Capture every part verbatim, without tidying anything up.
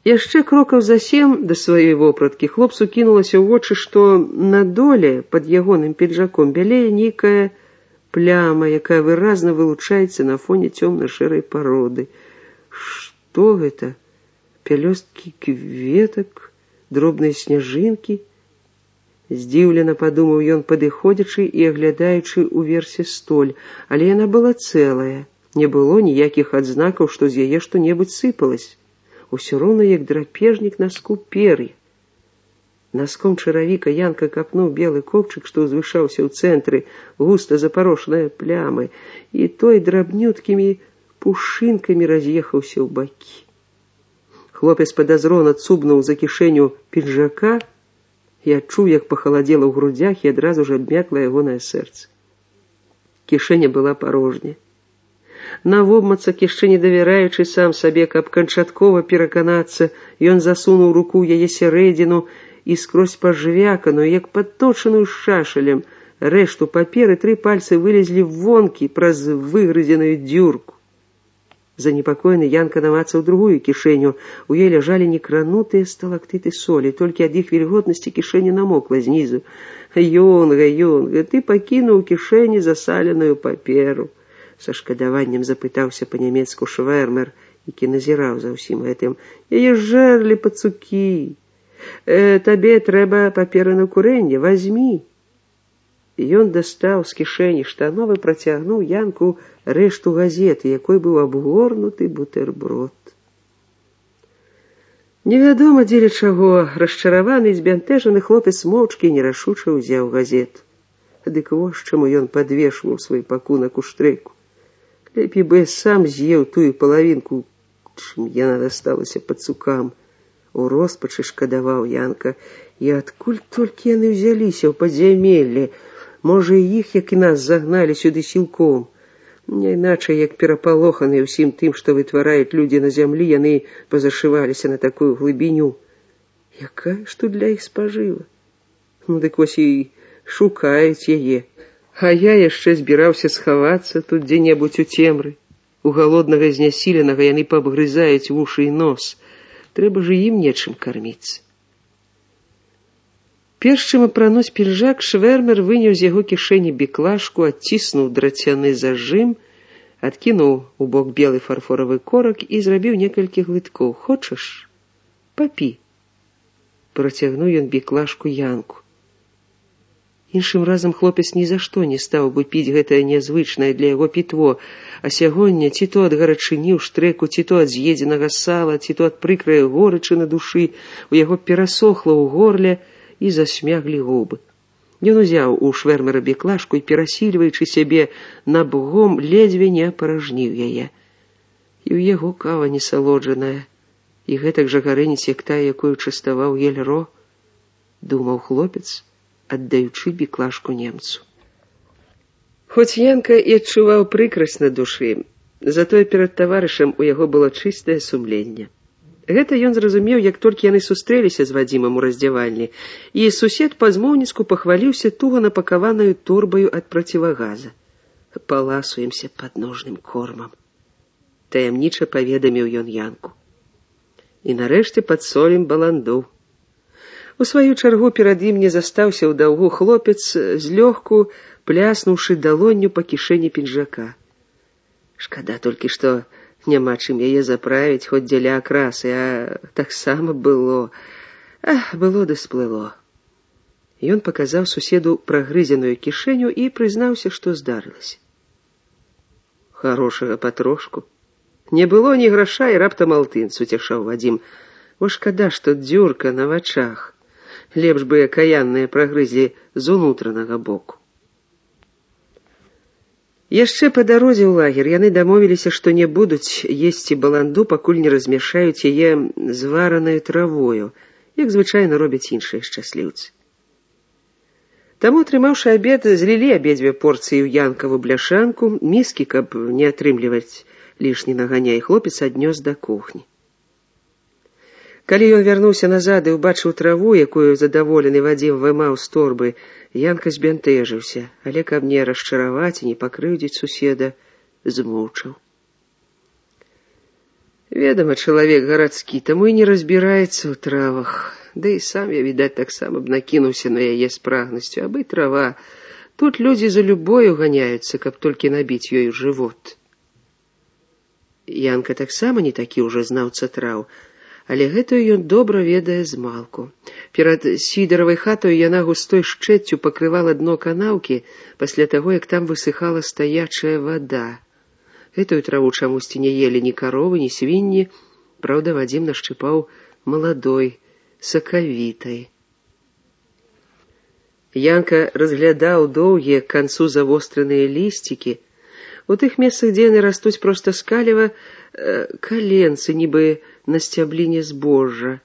Яшчэ крокаў за сем да сваёй вопраткі хлопцу кінулася ў вочы, што на доле пад ягоным піджаком бялее нейкая пляма, якая выразна вылучаецца на фоне цёмна-шэрай пароды. Што гэта? Пялёсткі кветак, дробныя сняжынкі? Здзіўлена падумаў ён, падыходзячы і аглядаючы ўверсе столь, але яна была цэлая. Не было ніякіх адзнакаў, што з яе што-небудзь сыпалась. Усё роўна як драпежнік наску пер'я. Наском чаравіка Янка капнуў белы копчык, што ўзвышаўся ў цэнтры, густа запарошанай плямай, і той драбнюткімі пушынкамі раз'ехаўся ў бакі. Хлопец падазрона цубнуў за кішэню піджака і адчуў, як пахаладзела ў грудзях, і адразу ж абмякла ягонае сэрца. Кішэня была парожня. Навобмацак, яшчэ не давяраючы сам сабе, каб канчаткова пераканацца, ён засунуў руку ў яе сярэдзіну і скрозь пажвяканую, як падточаную шашалем, рэшту паперы тры пальцы вылезлі вонкі праз выгрызеную дзюрку. Занепакоены Янка намацаў другую кішэню. У ёй ляжалі некранутыя сталактыты солі, толькі ад іх вільготнасці кішэня намокла знізу. «Ёнга, Ёнга, ты пакінуў у кішэні засаленую паперу», са шкадаваннем запытаўся па-нямецку швэрмер, які назіраў за ўсім гэтым. «Яе жэрлі пацукі. Э, табе трэба паперы на курэнне, вазьмі». Ён дастаў з кішэні штанов і працягнуў Янку рэшту газеты, якой быў абгорнуты бутэрброд. Невядома дзеля чаго, расчараваны і збянтэжаны хлопец моўчкі і нерашуча ўзяў газету. Дык вось чаму ён падвешваў свой пакунак у штрэку. Лепей бы сам з'еў тую палавінку, чым яна дасталася пацукам. У роспачы шкадаваў Янка. І адкуль толькі яны ўзяліся ў падзямеллі? Можа, і іх, як і нас, загналі сюды сілком. Не іначай, як перапалоханыя ўсім тым, што вытвараюць людзі на зямлі, яны пазашываліся на такую глыбіню. Якая ж тут для іх спажыва? Ну, дык вось і шукаюць яе. А я яшчэ збіраўся схавацца тут дзе-небудзь у цемры. У галоднага знясіленага яны пабгрызаюць вушы і нос. Трэба ж ім нечым карміцца. Перш чым апрануць пінжак, швэрмер выняў з яго кішэні біклашку, адціснуў драцяны зажым, адкінуў у бок белы фарфоравы корак і зрабіў некалькі глыткоў. «Хочаш? Папі». Працягнуў ён біклашку Янку. Іншым разам хлопец ні за што не стаў бы піць гэтае нязвычнае для яго пітво, а сягоння ці то ад гарачыні ў штрэку, ці то ад з'едзенага сала, ці то ад прыкрай горычы на душы, у яго перасохла ў горле і засмяглі губы. Ён узяў у швэрмера біклашку і, перасільваючы сябе набгом, ледзьве не апаражніў яе. І ў яго кава несалоджаная, і гэтак жа гарэніць, як тая, якую частаваў Ельро, думаў хлопец, аддаючы біклашку немцу. Хоць Янка і адчуваў прыкрасць на душы, затое перад таварышам у яго было чыстае сумленне. Гэта ён зразумеў, як толькі яны сустрэліся з Вадзімам у раздзявальні, і сусед па-змоўніцку пахваліўся туга напакаванаю торбаю ад процівагаза. «Паласуемся падножным кормам», таямніча паведаміў ён Янку. «І нарэшце падсолім баланду». У сваю чаргу перад ім не застаўся ў даўгу хлопец, злёгку пляснуўшы далонню па кішэні пінжака. Шкада толькі, што няма чым яе заправіць, хоць дзеля акрасы, а таксама было... Ах, было ды сплыло. Ён паказаў суседу прагрызеную кішэню і прызнаўся, што здарылася. Хорошага патрошку. Не было ні граша, і раптам алтын, суцяшаў Вадзім. О, шкада, што дзюрка на вачах. Лепш бы акаянныя прагрызлі з унутранага боку. Яшчэ па дарозе ў лагер яны дамовіліся, што не будуць есці баланду, пакуль не размяшаюць яе зваранаю травою, як звычайна робяць іншыя шчасліўцы. Таму, атрымаўшы абед, злілі абедзве порцыі ў Янкаву бляшанку, міскі, каб не атрымліваць лішні наганяй, хлопец аднёс да кухні. Калі ён вярнуўся назад і ўбачыў траву, якую задаволены Вадзім вымаў з торбы, Янка збянтэжыўся, але каб не расчараваць і не пакрыўдзіць суседа, змоўчаў. Ведомо, чалавек гарадскі, таму і не разбіраецца ў травах. Да і сам я, відаць, таксама б накінуўся на яе з прагнасцю, абы трава. Тут людзі за любою ганяюцца, каб толькі набіць ёй жывот. Янка таксама не такі ўжо знаўца траў, але гэтую ён добра ведае змалку. Перад сідаравай хатою яна густой шчэццю пакрывала дно канаўкі пасля таго, як там высыхала стаячая вада. Гэтую траву чамусьці не елі ні каровы, ні свінні, праўда, Вадзім нашчыпаў маладой, сакавітай. Янка разглядаў доўгія к канцу завостраныя лісцікі. У тых месцах, дзе яны растуць проста скалева, э, каленцы, нібы на сцябліне збожжа.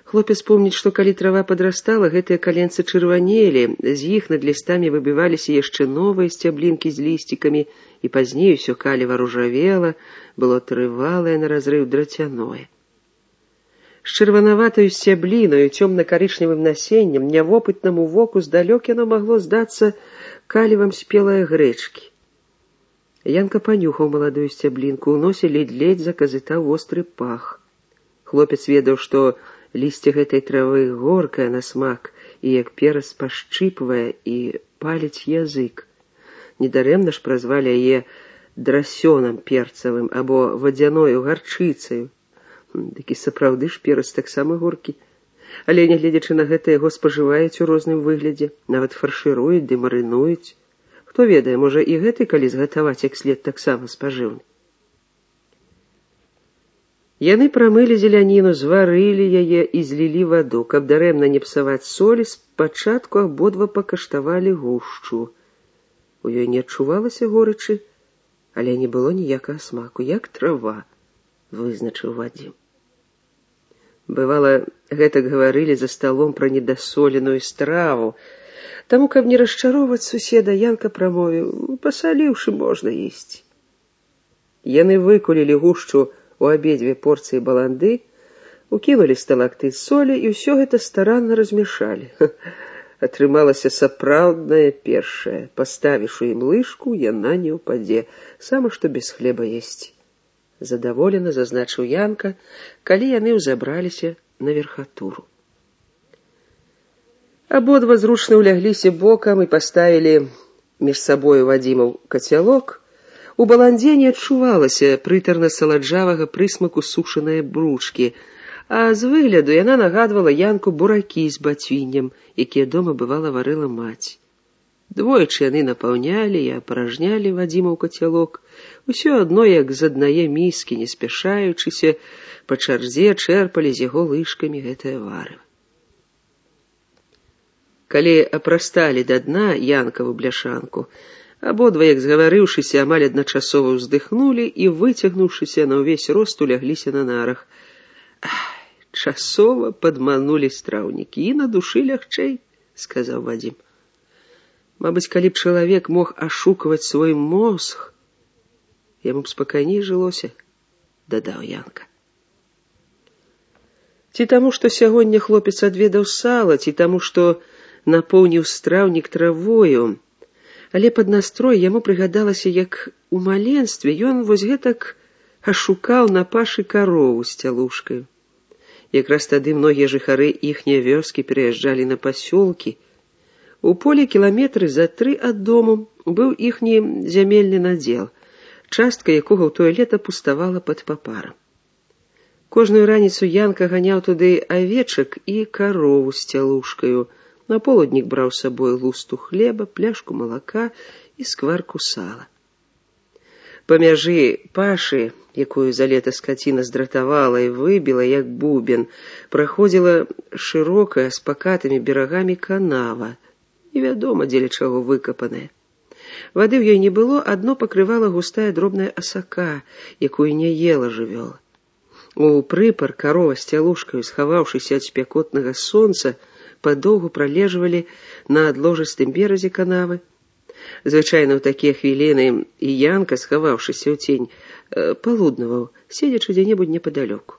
Хлопец помніць, што калі трава падрастала, гэтыя каленцы чырванелі, з іх над лістамі выбіваліся яшчэ новыя сцяблінкі з лісцікамі, і пазней усё каліва ружавела, было трывалае на разрыў драцяное. З чырванаватаю сцяблінаю, цёмна-карычневым насеннем, нявопытнаму воку здалёк яно магло здацца калівам спелае грэчкі. Янка панюхаў маладую сцяблінку, у носе ледь-ледь заказытаў востры пах. Хлопец ведаў, што лісце гэтай травы горкае на смак і як перац пашчыпвае і паліць язык. Недарэмна ж празвалі яе драсёнам перцавым або вадзяною гарчыцаю. Дык і сапраўды ж перац таксама горкі. Але, нягледзячы на гэта, яго спажываюць у розным выглядзе, нават фаршыруюць ды марынуюць. Хто ведае, можа і гэты, калі згатаваць як след, таксама спажыўны. Яны прамылі зеляніну, зварылі яе і злілі ваду, каб дарэмна не псаваць солі, спачатку абодва пакаштавалі гушчу. У ёй не адчувалася горычы, але не было ніякага смаку, як трава, вызначыў Вадзім. Бывала, гэтак гаварылі за сталом пра недасоленую страву, таму, каб не расчароўваць суседа, Янка прамовіў: пасаліўшы можна есці. Яны выкулілі гушчу у абедзве порцыі баланды, укінулі сталактыт солі і ўсё гэта старанна размяшалі. Атрымалася сапраўднае першае. Паставіш у ім лыжку, яна не ўпадзе, сама што без хлеба есці. Задаволена зазначыў Янка, калі яны ўзабраліся на верхатуру. Абодва зручна ўлягліся бокам і паставілі між сабою Вадзімаў кацялок. У баландзе не адчувалася прытарна-саладжавага прысмаку сушанае бручкі, а з выгляду яна нагадвала Янку буракі з бацвіннем, якія дома бывала варыла маці. Двойчы яны напаўнялі і апаражнялі Вадзімаў кацялок, усё адно як з аднае міскі, не спяшаючыся, па чарзе чэрпалі з яго лыжкамі гэтае варыва. Калі апрасталі да дна Янкаву бляшанку, абодва, як згаварыўшыся, амаль адначасова ўздыхнулі і, выцягнуўшыся на ўвесь рост, улягліся на нарах. Ай, часова падманулі страўнікі, і на душы лягчэй, сказаў Вадзім. Мабыць, калі б чалавек мог ашукваць свой мозг, яму б спакайней жылося, дадаў Янка. Ці таму, што сягоння хлопец адведаў сала, ці таму, што напоўніў страўнік травою, але пад настрой яму прыгадалася, як у маленстве ён вось гэтак ашукаў на пашы карову з цялушкаю. Якраз тады многія жыхары іхняе вёскі пераязджалі на пасёлкі. У полі кіламетры за тры ад дому быў іхні зямельны надзел, частка якога ў тое лета пуставала пад папарам. Кожную раніцу Янка ганяў туды авечак і карову з цялушкаю. На полуднік браў з сабой лусту хлеба, пляшку малака і скварку сала. Па мяжы пашы, якую за лета скаціна здратавала і выбіла, як бубен, праходзіла шырокая з пакатымі берагамі канава, невядома, дзеля чаго выкапаная. Вады ў ёй не было, адно пакрывала густая дробная асака, якую не ела жывёла. У прыпар карова з цялушкаю, схаваўшыся ад спякотнага сонца, падоўгу пралежвалі на адложыстым беразе канавы. Звычайна ў такія хвіліны і Янка, схаваўшыся ў цень, палуднаваў, седзячы дзе-небудзь непадалёку.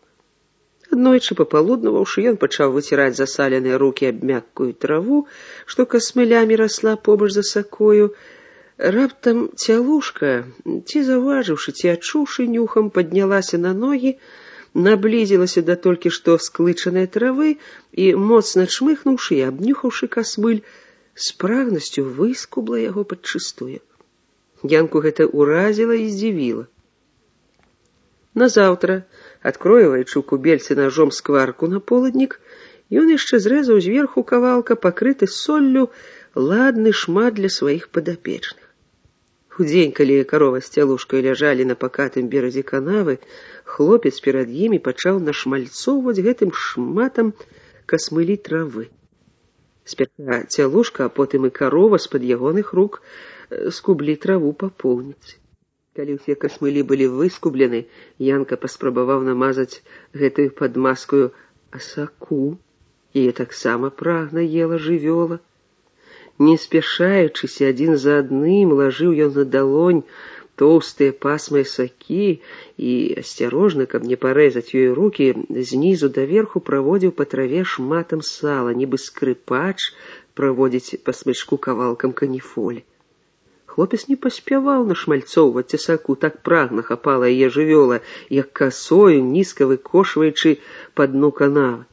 Аднойчы папалуднаваўшы, ён пачаў выціраць засаленыя рукі аб мяккую траву, што касмылямі расла побач за сакою. Раптам цялушка, ці заўважыўшы, ці адчуўшы нюхам, паднялася на ногі, наблізілася да толькі што склычанай травы і, моцна чмыхнуўшы і абнюхаўшы касмыль, з прагнасцю выскубла яго падчыстую. Янку гэта ўразіла і здзівіла. Назаўтра, адкроіваючы ў кубельцы ножом скварку на полуднік, ён яшчэ зрэзаў зверху кавалка, пакрыты соллю, ладны шмат для сваіх падапечных. Удзень, калі карова з цялушкай ляжалі на пакатым беразе канавы, хлопец перад імі пачаў нашмальцоўваць гэтым шматам касмылі травы. Спярша цялушка, а потым і карова з-пад ягоных рук скублі траву па поўніцы. Калі ўсе касмылі былі выскублены, Янка паспрабаваў намазаць гэтую падмазкаю асаку. Яе таксама прагна ела жывёла. Не спяшаючыся, адзін за адным лажыў ён на далонь тоўстыя пасмы асакі і, асцярожна, каб не парэзаць ёй рукі, знізу даверху праводзіў па траве шматам сала, нібы скрыпач праводзіць па смычку кавалкам каніфолі. Хлопец не паспяваў нашмальцоўваць асаку, так прагна хапала яе жывёла, як касою, нізка выкошваючы па дну канавы.